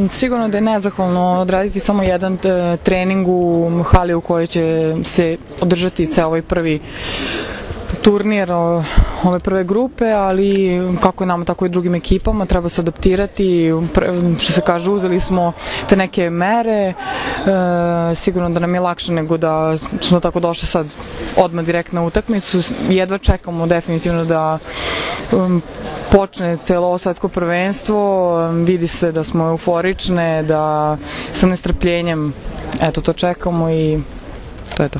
sigurno da je nezahvalno odraditi samo jedan trening u hali u kojoj će se održati ceo ovaj prvi turnir ove prve grupe, ali kako je nama, tako i drugim ekipama, treba se adaptirati, što se kaže, uzeli smo te neke mere, sigurno da nam je lakše nego da smo tako došli sad odmah direkt na utakmicu, jedva čekamo definitivno da počne celo ovo svetsko prvenstvo, vidi se da smo euforične, da sa nestrpljenjem to čekamo i to je to.